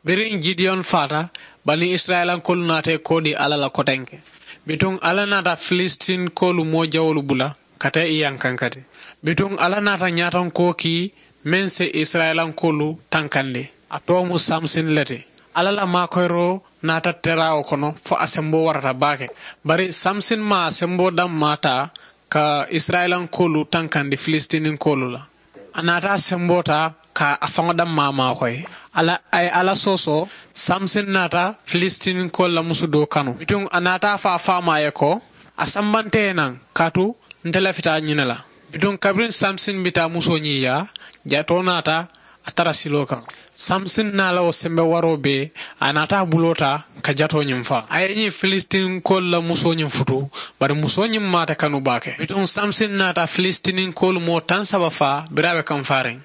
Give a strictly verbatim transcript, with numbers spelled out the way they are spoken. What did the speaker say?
Biriŋ jidiyoŋ faata, bani isirayilankoolu naata i koodi alla la kotenke. Bituŋ alla naata filisitinkoolu moo jawoolu bula ka taa i yankankati. Bituŋ alla naata ñaatonkoo kii meŋ si isirayilankoolu tankandi. A too mu samsin le ti. Alla la maakoyiroo naata teraawo kono fo a semboo warata baake. Bari samsin maŋ a semboo dammaa taa ka isirayilankoolu tankandi filisitinkoolu la. A naata a semboo taa ka a faŋo dammaa maakoyi. A ye alla soosoo. Samsin naata filisitinkoolu la musu doo kanu. Bituŋ a naata a fo a faamaa ye ko, a sambanta i ye naŋ kaatu nte lafita ñiŋ ne la. Bituŋ kabiriŋ samsin bi taa musoo ñiŋ yaa, jatoo naata a tara siloo kaŋ. Samsin naa la wo sembe waroo bee, a naata a buloo taa ka jatoo ñiŋ faa. A ye ñiŋ filisitinkoolu la musoo ñiŋ futu. Bari musoo ñiŋ maata kanu baake. Bituŋ samsin naata filisitinkoolu moo taŋ saba faa biriŋ a be kaŋ faariŋ.